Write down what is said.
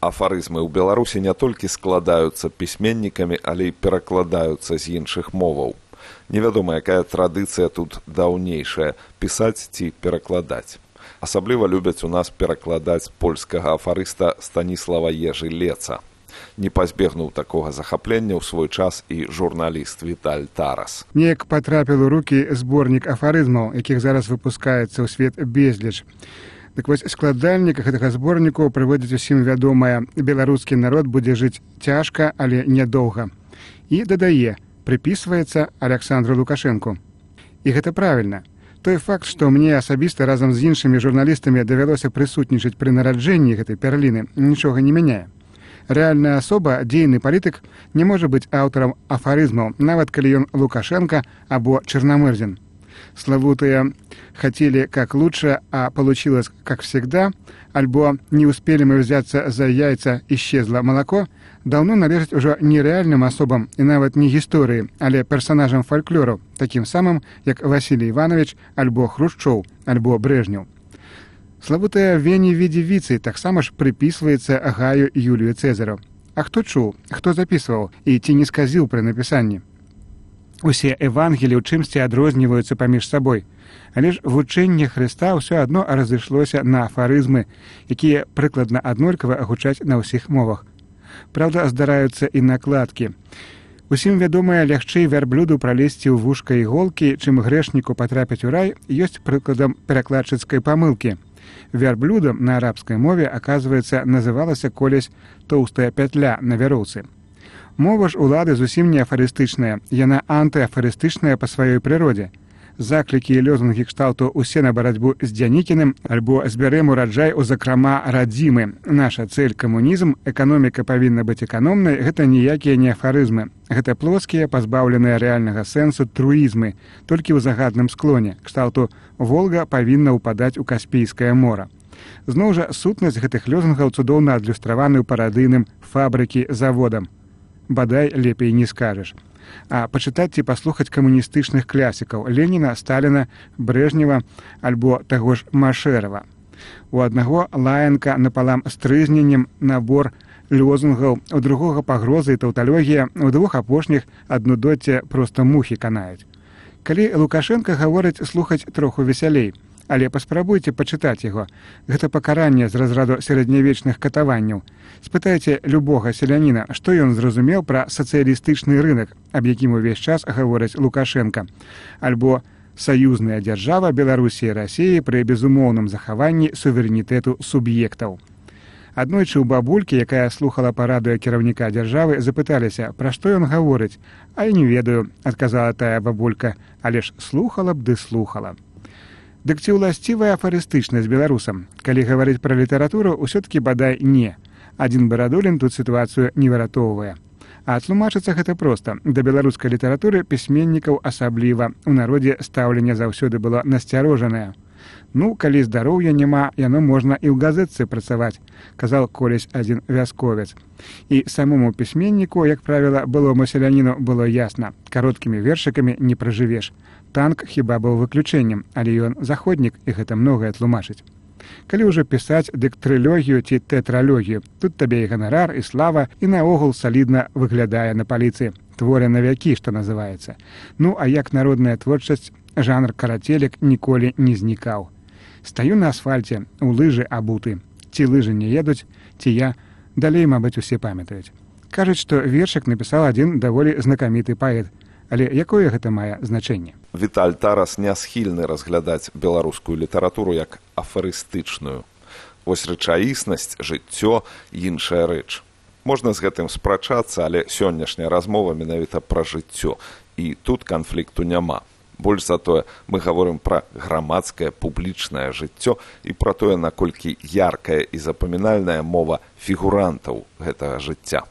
Афарызмы ў Беларусі не толькі складаюцца пісьменнікамі, але і перакладаюцца з іншых моваў. Невядома, якая традыцыя тут даўнейшая – пісаць ці перакладаць. Асабліва любяць у нас перакладаць польскага афарыста Станіслава Ежы Леца. Не пазбегнуў такога захаплення ў свой час і журналіст Віталь Тарас. Неяк патрапіў у рукі зборнік афарызмаў, якіх зараз выпускаецца ў свет безліч. Так вось, складальнік гэтага зборніку прыводзіць усім вядомае: беларускі народ будзе жыць цяжка, але нядоўга. І дадае: прыпісваецца Аляксандру Лукашэнку. І гэта правільна. Той факт, што мне асабіста разам з іншымі журналістамі давялося прысутнічаць пры нараджэнні гэтай перліны, нічога не мяняе. Рэальная асоба, дзейны палітык, не можа быць аўтарам афарызмаў, нават калі ён Лукашенко або Черномырдин. Славутые «хотели как лучше, а получилось как всегда», альбо «не успели мы взяться за яйца, исчезло молоко» даўно належаць ужо не рэальным асобам і нават не гісторыі, але персанажам фальклору, такім самым, як Васілій Іванович, альбо Хрушчоў, альбо Брежнеў. Славутая Вені Відзівіцы таксама ж прыпісваецца Гаю Юлію Цэзару. А хто чуў, хто запісваў і ці не сказіў пры напісанні? Усе евангелі ў чымсьці адрозніваюцца паміж сабой, але ж вучэнне Хрыста ўсё адно разышлося на афарызмы, якія прыкладна аднолькава гучаць на ўсіх мовах. Праўда, здараюцца і накладкі. Усім вядомая, лягчэй вярблюду пралезці ў вушка іголкі, чым грэшніку патрапіць у рай, ёсць прыкладам перакладчыцкай памылкі. Вярблюдам на арабскай мове, аказваецца, называлася колись тоўстая пятля на вяроўцы. Мова ж улады зусім не афарыстычная, яна антыафарыстычная па сваёй прыродзе. Заклікі і лёзунгі кшталту «усе на барацьбу з Дзянікіным» альбо «збярэм ураджай у закрама радзімы», «наша цэль камунізм», «эканоміка павінна быць эканомнай» – гэта ніякія не афарызмы. Гэта плоскія, пазбаўленыя рэальнага сэнсу труізмы, толькі ў загадным склоне, кшталту «Волга павінна ўпадаць у Каспійскае мора». Зноў жа, сутнасць гэтых лёзунгаў цудоўна адлюстраваны ў парадыйным «фабрыкі заводам». Бадай лепей не скажаш. А пачытаць ці паслухаць камуністычных класікаў Леніна, Сталіна, Брежнева альбо таго ж Машэрава. У аднаго лаянка напалам з трызненнем, набор лёзунгаў, у другога пагроза і таўталогія, у двух апошніх аднудоцце проста мухі канаюць. Калі Лукашенко гаворыць, слухаць троху весялей, але паспрабуйце пачытаць яго. Гэта пакаранне з разраду сярэднявечных катаванняў. Спытайце любога селяніна, што ён зразумеў пра сацыялістычны рынок, аб якім увесь час гаворыць Лукашенко, альбо саюзная дзяржава Беларусі і Расіі пры безумоўным захаванні суверэнітэту суб'ектаў. Аднойчы ў бабулькі, якая слухала параду кіраўніка дзяржавы, запыталіся, пра што ён гаворыць. «А я не ведаю», – адказала тая бабулька, але ж слухала б ды слухала. Дык ці ўласцівая афарыстычнасць беларусам? Калі гаварыць пра літаратуру, усё-ткі бадай не. Адзін Барадулін тут сітуацыю не выратоўвае. А тлумачыцца гэта проста. Да беларускай літаратуры пісьменнікаў асабліва. У народзе стаўленне заўсёды было насцярожанае. Ну, калі здароўя няма, яно можна і ў газетцы працаваць, казаў колись адзін вясковец. І самому пісьменніку, як правіла, былому селяніну было ясна. Кароткімі вершыкамі не пражывеш. Танк хіба быў выключэннем, але ён заходнік, і гэта многае тлумачыць. Калі ўжо пісаць дык трылогію ці тэтралогію, тут табе і ганарар, і слава, і наогул салідна выглядае на паліцы. Творы на вякі, што называецца. Ну, а як народная творчасць, жанр карацелек ніколі не знікаў. Стаю на асфальце, у лыжы абуты. Ці лыжы не едуць, ці я, далей, мабыць, усе памятаюць. Кажуць, што вершык напісаў адзін даволі знакаміты паэт. Але якое гэта мае значэнне? Віталь Тарас не схільны разглядаць беларускую літаратуру як афарыстычную. Вось рэчаіснасць, жыццё – іншая рэч. Можна з гэтым спрачацца, але сённяшняя размова менавіта пра жыццё. І тут канфлікту няма. Больш за тое, мы гаворым пра грамадскае публічнае жыццё і пра тое, наколькі яркая і запамінальная мова фігурантаў гэтага жыцця.